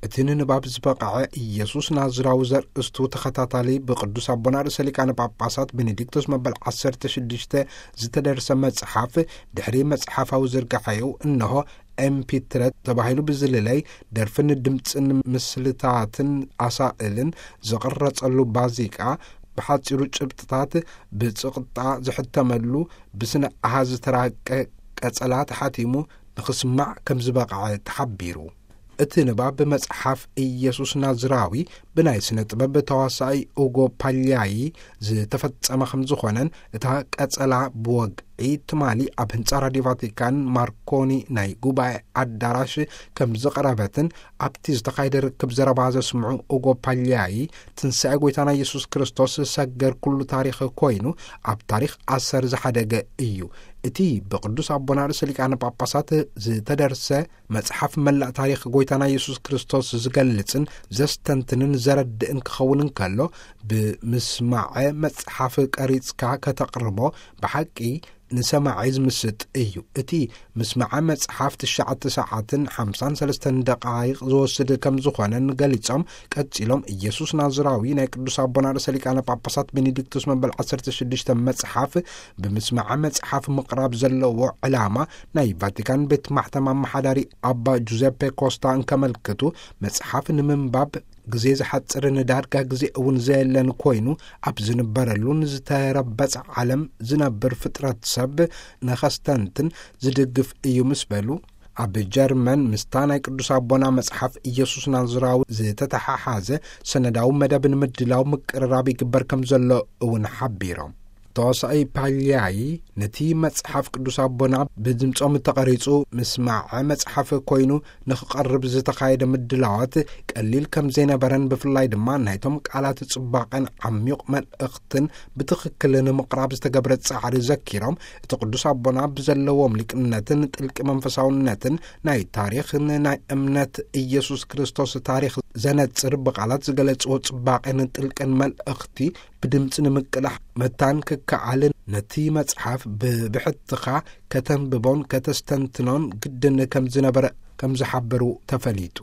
እቲ ንንባብ ዝበቕዐ ኢየሱስ ናዝራዊ ዘርእስቱ ተኸታታሊ ብቅዱስ ኣቦና ርእሰ ሊቃነ ጳጳሳት ቤኔዲክቶስ መበል ዓሰርተ ሽዱሽተ ዝተደርሰ መጽሓፍ፣ ድሕሪ መጽሓፋዊ ዝርጋሐዩ፣ እንሆ ኤምፒትረ ተባሂሉ ብዝልለይ፣ ደርፍን ድምጽን ምስልታትን ኣሳእልን ዝቕረጸሉ ባዚቃ፣ ብሓጺሩ ጭብጥታት ብጽቕጣ ዝሕተመሉ፣ ብስነ ኣሃዝ ዝተራቀ ቀጸላ ተሓቲሙ ንኽስማዕ ከም ዝበቕዐ ተሓቢሩ። እቲ ንባብ መጽሓፍ ኢየሱስ ናዝራዊ ብናይ ስነ ጥበብ ተዋሳኢ ኡጎ ፓልያዪ ዝተፈጸመ ከም ዝኾነን፣ እታ ቀጸላ ብወግዒ ትማሊ ኣብ ህንጻ ራድዮ ቫቲካን ማርኮኒ ናይ ጉባኤ ኣዳራሽ ከም ዝቐረበትን፣ ኣብቲ ዝተኻየደ ርክብ ዘረባ ዘስምዑ ኡጎ ፓልያዪ፣ ትንሳኤ ጐይታና ኢየሱስ ክርስቶስ ሰገር ኩሉ ታሪኽ ኮይኑ፣ ኣብ ታሪኽ ኣሰር ዝሓደገ እዩ። እቲ ብቅዱስ ኣቦና ርእሰ ሊቃነ ጳጳሳት ዝተደርሰ መጽሓፍ መላእ ታሪኽ ጐይታና ኢየሱስ ክርስቶስ ዝገልጽን ዘስተንትንን ዘረድእን ክኸውን እንከሎ፣ ብምስማዐ መጽሓፍ ቀሪጽካ ከተቕርቦ ብሓቂ ንሰማዒ ዝምስጥ እዩ። እቲ ምስማዐ መጽሓፍ ትሽዓተ ሰዓትን ሓምሳን ሰለስተን ደቓይቕ ዝወስድ ከም ዝኾነን ገሊጾም፣ ቀጺሎም፣ ኢየሱስ ናዝራዊ ናይ ቅዱስ ኣቦና ርእሰ ሊቃነ ጳጳሳት ቤኔዲክቱስ መበል ዓሰርተ ሽዱሽተ መጽሓፍ ብምስማዐ መጽሓፍ ምቕራብ ዘለዎ ዕላማ ናይ ቫቲካን ቤት ማሕተም ኣመሓዳሪ ኣባ ጁዘፔ ኮስታ እንከመልክቱ፣ መጽሓፍ ንምንባብ ግዜ ዝሓጽርን ዳርጋ ግዜ እውን ዘየለን ኮይኑ፣ ኣብ ዝንበረሉን ዝተረበጸ ዓለም ዝነብር ፍጥረት ሰብ ንኸስተንትን ዝድግፍ እዩ ምስ በሉ፣ ኣብ ጀርመን ምስታ ናይ ቅዱስ ኣቦና መጽሓፍ ኢየሱስ ናዝራዊ ዝተተሓሓዘ ሰነዳዊ መደብ ንምድላው ምቅርራብ ይግበር ከም ዘሎ እውን ሓቢሮም። ተዋሳኢ ፓልያዪ፣ ነቲ መጽሓፍ ቅዱስ ኣቦና ብድምጾም እተቐሪጹ ምስማዐ መጽሓፍ ኮይኑ ንኽቐርብ ዝተኻየደ ምድላዋት ቀሊል ከም ዘይነበረን፣ ብፍላይ ድማ ናይቶም ቃላት ጽባቐን ዓሚቕ መልእኽትን ብትኽክል ንምቕራብ ዝተገብረ ጻዕሪ ዘኪሮም፣ እቲ ቅዱስ ኣቦና ብዘለዎም ሊቅነትን ጥልቂ መንፈሳውነትን ናይ ታሪኽን ናይ እምነት ኢየሱስ ክርስቶስ ታሪኽ ዘነጽር ብቓላት ዝገለጽዎ ጽባቐን ጥልቅን መልእኽቲ ብድምጺ ንምቅላሕ መታን ክከኣልን፣ ነቲ መጽሓፍ ብብሕትኻ ከተንብቦን ከተስተንትኖን ግድን ከም ዝነበረ ከም ዝሓበሩ ተፈሊጡ።